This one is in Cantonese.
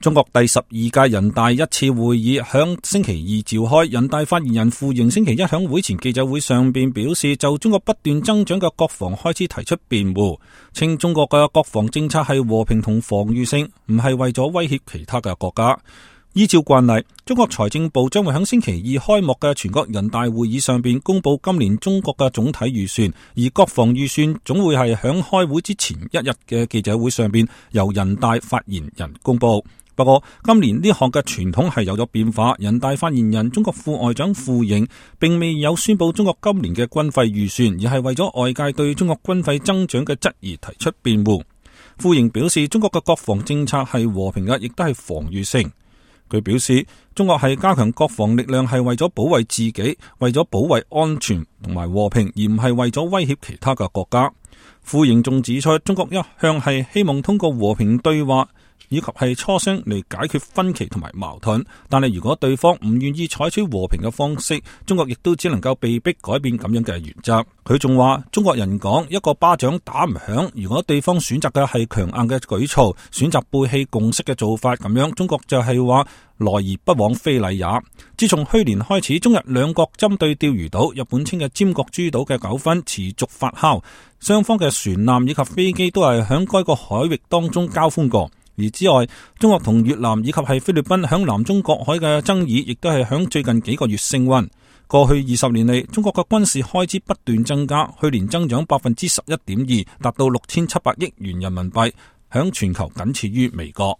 中國第12屆人大一次會議響星期二召開，人大發言人傅瑩星期一響會前記者會上邊表示，就中國不斷增長嘅國防開支提出辯護，稱中國嘅國防政策係和平同防禦性，唔係為咗威脅其他嘅國家。依照慣例，中國財政部將會喺星期二開幕嘅全國人大會議上邊公布今年中國嘅總體預算，而國防預算總會係響開會之前一日嘅記者會上邊由人大發言人公布。不過今年呢項嘅傳統係有咗變化，人大發言人中國副外長傅瑩並未有宣布中國今年嘅軍費預算，而係為咗外界對中國軍費增長嘅質疑提出辯護。傅瑩表示，中國嘅國防政策係和平嘅，亦都係防禦性。佢表示，中國係加強國防力量係為咗保衛自己，為咗保衛安全同埋和平，而唔係為咗威脅其他嘅國家。傅瑩仲指出，中國一向係希望通過和平對話以及係磋商嚟解決分歧同埋矛盾，但係如果對方唔願意採取和平嘅方式，中國亦都只能夠被逼改變咁樣嘅原則。佢仲話，中國人講一個巴掌打唔響，如果對方選擇嘅係強硬嘅舉措，選擇背棄共識嘅做法咁樣，中國就係話來而不往非禮也。自從去年開始，中日兩國針對釣魚島，日本稱嘅尖閣諸島嘅糾紛持續發酵，雙方嘅船艦以及飛機都係響該個海域當中交鋒過。而之外，中國同越南以及係菲律賓響南中國海嘅爭議，亦都係響最近幾個月升溫。過去20年嚟，中國嘅軍事開支不斷增加，去年增長 11.2%， 達到6700億元人民幣，響全球僅次於美國。